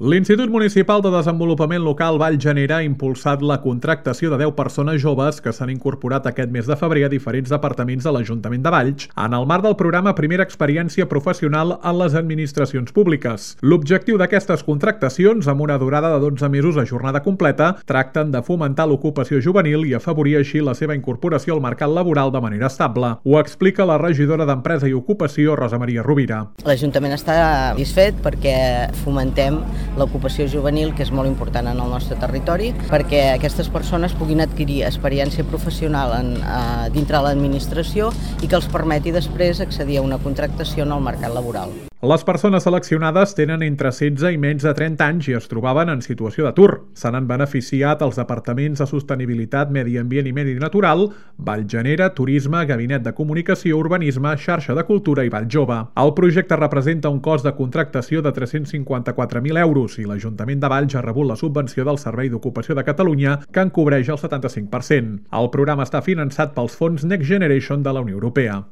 L'Institut Municipal de Desenvolupament Local Vallgenera ha impulsat la contractació de 10 persones joves que s'han incorporat aquest mes de febrer a diferents departaments de l'Ajuntament de Valls en el marc del programa Primera Experiència Professional en les Administracions Públiques. L'objectiu d'aquestes contractacions, amb una durada de 12 mesos a jornada completa, tracten de fomentar l'ocupació juvenil i afavorir així la seva incorporació al mercat laboral de manera estable. Ho explica la regidora d'Empresa i Ocupació, Rosa Maria Rovira. L'Ajuntament està satisfet perquè fomentem l'ocupació juvenil, que és molt important en el nostre territori, perquè aquestes persones puguin adquirir experiència professional dintre de l'administració i que els permeti després accedir a una contractació en el mercat laboral. Les persones seleccionades tenen entre 16 i menys de 30 anys i es trobaven en situació d'atur. Se n'han beneficiat els departaments de Sostenibilitat, Medi Ambient i Medi Natural, Vallgenera, Turisme, Gabinet de Comunicació, Urbanisme, Xarxa de Cultura i Valljove. El projecte representa un cost de contractació de 354.000 euros i l'Ajuntament de Valls ha rebut la subvenció del Servei d'Ocupació de Catalunya, que en cobreix el 75%. El programa està finançat pels fons Next Generation de la Unió Europea.